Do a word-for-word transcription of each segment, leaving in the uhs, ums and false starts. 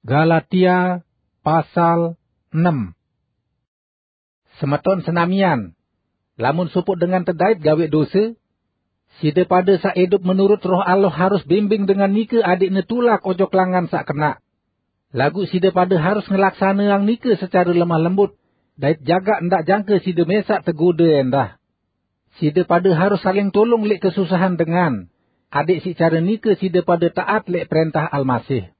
Galatia pasal enam. Semeton senamian, lamun sopoq dengan tedait gaweq dose, side pade saq idup menurut Roh Allah harus bimbing dengan nike adeqne tulak ojok langan saq kenaq. Laguq side pade harus ngelaksaneang nike secare lemah lembut, dait jagaq ndaq jangke side mesaq tegode endah. Side pade harus saling tulung leq kesusahan dengan, adeq siq care nike side pade taat leq prentah Almasih.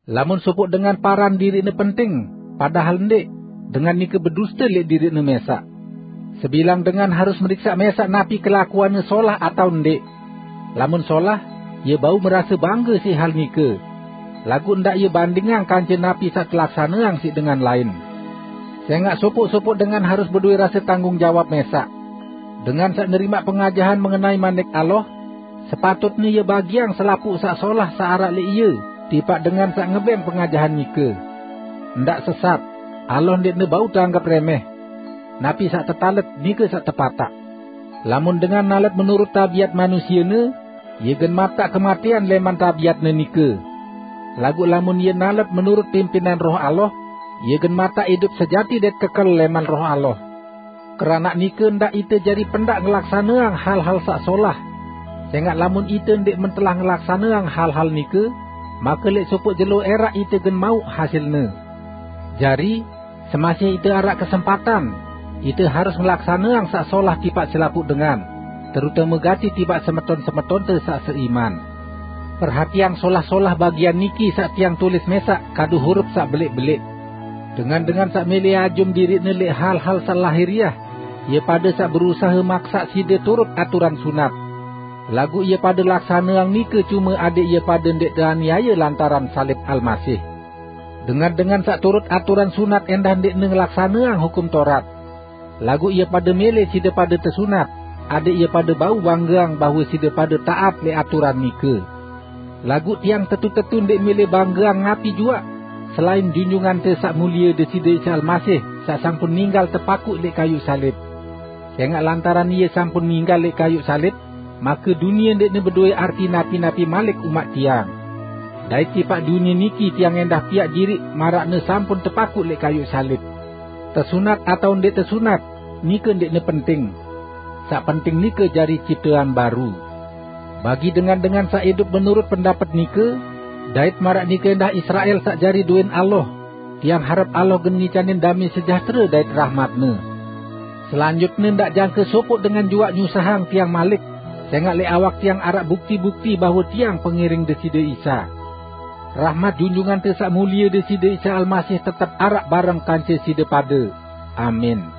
Lamun sopoq dengan paran diriqne penting, padahal ndeq, dengan nike beduste leq diriqne mesaq. Sebilang dengan harus meriksaq mesaq napi kelakuanne solah atao ndeq. Lamun solah, ie bau merase bangge siq hal nike. Laguq ndaq ie bandingang kance napi saq telaksaneang siq dengan lain. Sengaq sopoq-sopoq dengan harus bedowe rase tanggung jawab mesaq. Dengan saq nerimaq pengajahan mengenai Manik Allah, sepatutne ie bagiang selapuq saq solah saq araq leq ie tipaq dengan saq ngebeng pengajahan nike. Ndaq sesat, Allah ndeqne bau teanggep remeh. Napi saq tetalet, nike saq tepataq. Lamun dengan nalet menurut tabiat manusiene, ie gen mataq kematean leman tabiatne nike. Laguq lamun ie nalet menurut pimpinan Roh Allah, ie gen mataq idup sejati dait kekel leman Roh Allah. Keranaq nike ndaq ite jari pendaq ngelaksaneang hal-hal saq solah. Sengaq lamun ite ndeq mentelah ngelaksaneang hal-hal nike, make leq sopoq jelo eraq ite gen mauq hasilne. Jari, semasih ite araq kesempatan, ite harus ngelaksaneang saq solah tipaq selapuq dengan, terutame gati tipaq semeton-semetonte saq seiman. Perhatiang solah-solah bagian niki saq tiang tulis mesaq kadu hurup saq beleq-beleq. Dengan-dengan saq mele ajum diriqne leq hal-hal saq lahiriah, ie pade saq berusahe maksaq side turut aturan sunat. Laguq ie pade laksaneang nike cume adeq ie pade ndeq teaniaye lantaran salib Almasih. Dengan-dengan saq turut aturan sunat endah ndeqne ngelaksaneang Hukum Taurat. Laguq ie pade mele side pade tesunat, adeq ie pade bau banggeang bahwe side pade taat leq aturan nike. Laguq tiang tetu-tetu ndeq mele banggeang napi juaq, selain Junjungante Saq Mulie Deside Isa Almasih, saq sampun ninggal tepakuq leq kayuq salib. Sengaq lantaran ie sampun ninggal leq kayuq salib, make dunie ndeqne bedowe arti napi-napi malik umaq tiang. Dait tipaq dunie niki tiang endah piaq diriq maraqne sampun tepakuq leq kayuq salib. Tesunat atao ndeq tesunat, nike ndeqne penting. Saq penting nike jari ciptean baru. Bagi dengan-dengan saq idup menurut pendapet nike, dait maraq nike endah Israel saq jari duen Allah, tiang harep Allah gen ngicanin dame sejahtere dait rahmat-Ne. Selanjutne ndaq jangke sopoq dengan juaq nyusahang tiang malik, sengaq leq awak tiang araq bukti-bukti bahwe tiang pengiring Deside Isa. Rahmat Junjungante Saq Mulie Deside Isa Almasih tetep araq bareng kance side pade. Amin.